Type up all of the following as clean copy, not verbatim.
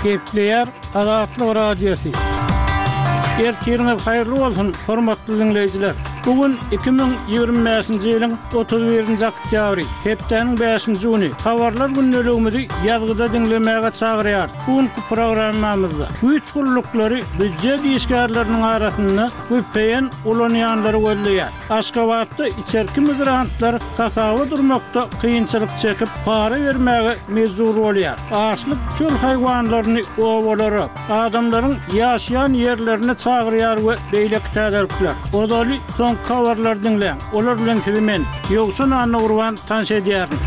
Gepleýär Azatlyk Radiosy. Ertiriňiz haýyrly bolsun, hormatly diňleýjiler! Bu gün 2025-nji ýylyň 31-nji oktýabry, hepdäniň bäşinji güni. Habarlar gündeligimizi ýazgyda diňlemäge çagyrýarys. Bu günki programmamyzda güýç gulluklary býujet işgärleriniň arasynda vpn ulanýanlary gözleýär. Aşgabatda içerki migrantlar hasaba durmakda kynçylyk çekip, para bermäge mejbur bolýar. Açlyk çöl haýwanlaryny obalara, adamlaryň ýaşaýan ýerlerine çagyrýar we beýleki täzelikler. Ozaly soňky habarlary diňläň. Olar bilen sizi men, Ýowşan Annagurban tanyş edýärin.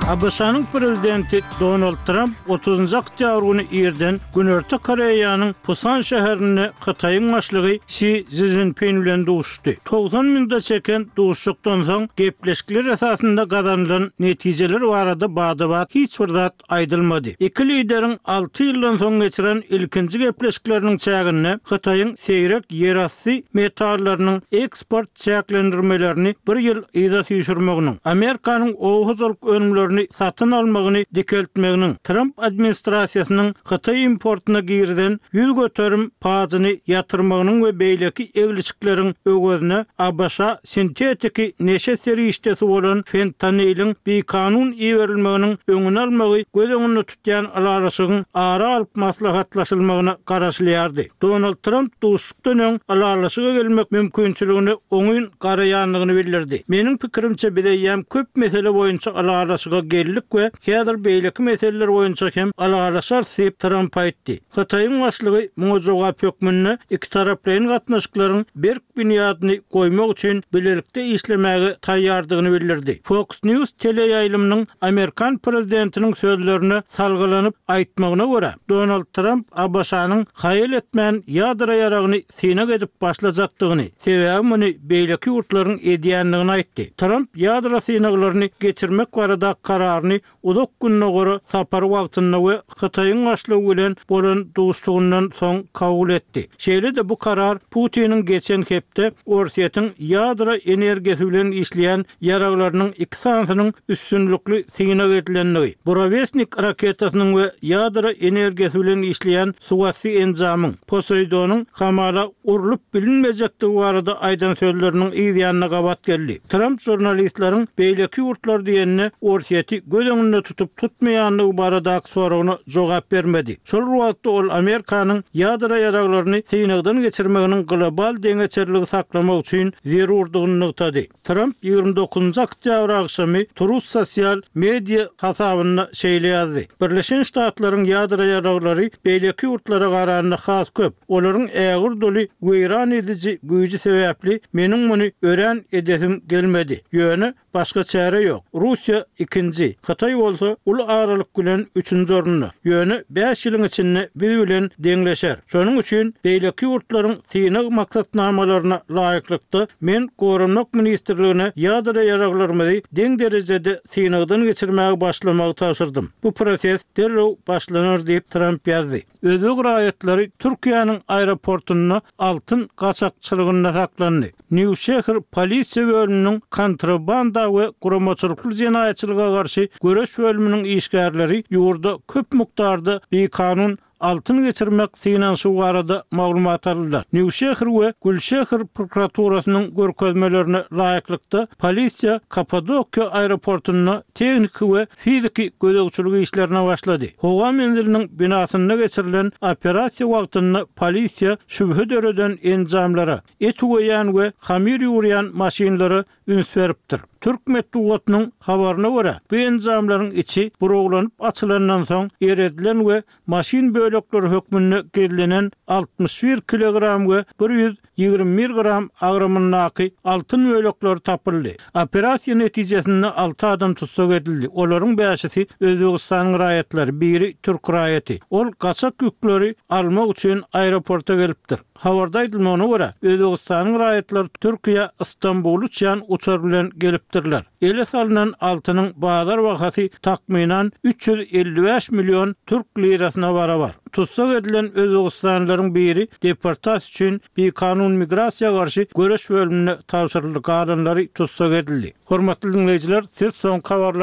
ABŞ-nyň prezidenti Donald Tramp otuzynjy oktýabr güni irden Günorta Koreýanyň Pusan şäherinde Hytaýyň başlygy Si Szinpin bilen duşuşdy. 90 minuta çeken duşuşykdan soň gepleşikler esasynda gazanylan netijeler barada bada-bat hiç bir zat aýdylmady. Iki lideriň alty ýyldan soň geçiren ilkinji gepleşikleriniň çäginde Hytaýyň seýrek ýerasty metallarynyň eksport çäklendirmelerini bir ýyl yza süýşürmeginiň, Amerikanyň oba hojalyk önümlerini satyn almagyny dikeltmeginiň, Tramp administrasiýasynyň hytaý importyna girizen 100% pajyny ýatyrmagynyň we beýleki eglişikleriň öwezine ABŞ-a sintetiki neşe serişdesi bolan fentaniliň bikanun iberilmeginiň öňüni almagy göz öňünde tutýan ylalaşygyň ara alyp maslahatlaşylmagyna garaşylýardy. Donald Tramp duşuşykdan öň ylalaşyga gelmek mümkinçiligine oňyn garaýandygyny bildirdi. Meniň pikirimçe biz eýýäm köp mesele boýunça ylalaşyga geldik we häzir beýleki meseleler boýunça hem ylalaşarys diýip, Tramp aýtdy. Hytaýyň başlygy muňa jogap hökmünde ikitaraplaýyn gatnaşyklaryň berk binýadyny goýmak üçin bilelikde işlemäge taýýardygyny bildirdi. Fox News teleýaýlymynyň amerikan prezidentiniň sözlerine salgylanyp aýtmagyna görä, Donald Tramp ABŞ-nyň haýal etmän ýadro ýaragyny synag edip başlajakdygyny, sebäbi muny beýleki ýurtlaryň edýändigini aýtdy. Tramp ýadro synaglaryny geçirmek barada kararyny Uzak Gündogara sapary wagtynda we Hytaýyň başlygy bilen bolan duşuşygyndan soň kabul etdi. Şeýle-de bu karar Putiniň geçen hepde Orsýetiň ýadro energiýasy bilen işleýän ýaraglarynyň iki sanysynyň üstünlikli synag edilendigi, Burewestnik raketasynyň we ýadro energiýasy bilen işleýän suwasty enjamyň, Poseýdonyň hamala urlup bilinmejekdigi barada aýdan sözleriniň yz ýanyna gabat geldi. Tramp žurnalistleriň beýleki ýurtlar diýende Orsýeti göz öňünde tutup tutmaýandygy baradaky soragyna jogap bermedi. Şol bir wagtda ol Amerikanyň ýadro ýaraglaryny synagdan geçirmeginiň global deňeçerligi saklamak üçin zerurdygyny nygtady. Tramp 29 oktýabr agşamy Truth sosial media hasabynda şeýle ýazdy, Birleşen Ştatlaryň ýadro ýaraglary beýleki ýurtlara garanda has köp. Olaryň ägirt uly weýran ediji güýji sebäpli meniň muny örän edesim gelmedi. Ýöne başga çäre ýok. Russiýa ikinji, Hytaý bolsa uly aralyk bilen üçünji orunda. Ýöne bäş ýylyň içinde biz bilen deňleşer. Şonuň üçin beýleki ýurtlaryň synag maksatnamalaryna laýyklykda, men Goranmak ministrligine ýadro ýaraglarymyzy deň derejede synagdan geçirmäge başlamagy tabşyrdym. Bu proses derrew başlanar diýip, Tramp ýazdy. Özbek raýatlary Türkiýäniň aeroportunda altyn gaçakçylygynda saklandy. Newşehir polisiýa bölüminiň kontrabanda we guramaçylykly jenaýatçylyga garşy göreş bölüminiň işgärleri ýurda köp mukdarda bikanun altyn geçirmek synanyşygy barada maglumat aldylar. Newşehir we Gülşehir prokuraturasynyň görkezmelerine laýyklykda, polisiýa Kapadokiýa aeroportunda tehniki we fiziki gözegçilik işlerine başlady. Howa menziliniň binasynda geçirilen operasiýa wagtynda polisiýa şübhe döreden enjamlara, et üweýän we hamyr ýugurýan maşynlara üns beripdir. Türk metbugatynyň habaryna görä, bu enjamlaryň içi burawlanyp açylandan soň eredilen we maşyn bölekleri hökmünde gizlenen 61 kilogram we 121 gram agramyndaky altyn bölekleri tapyldy. Operasiýa netijesinde alty adam tussag edildi, olaryň bäşisi Özbegistanyň raýatlary, biri türk raýaty. Ol gaçak ýükleri almak üçin aeroporta gelipdir. Habarda aýdylmagyna görä, Özbegistanyň raýatlary Türkiýä Stambula uçýan uçar bilen gelipdirler. Ele salnan altynyň bazar bahasy takmynan 355 million türk lirasyna barabar. Tussag edilen özbegistanlylaryň biri deportasiýa üçin bikanun migrasiýa garşy göreş bölümine tabşyryldy, galanlary tussag edildi. Hormatly diňleýjiler, siz soňky habarlar.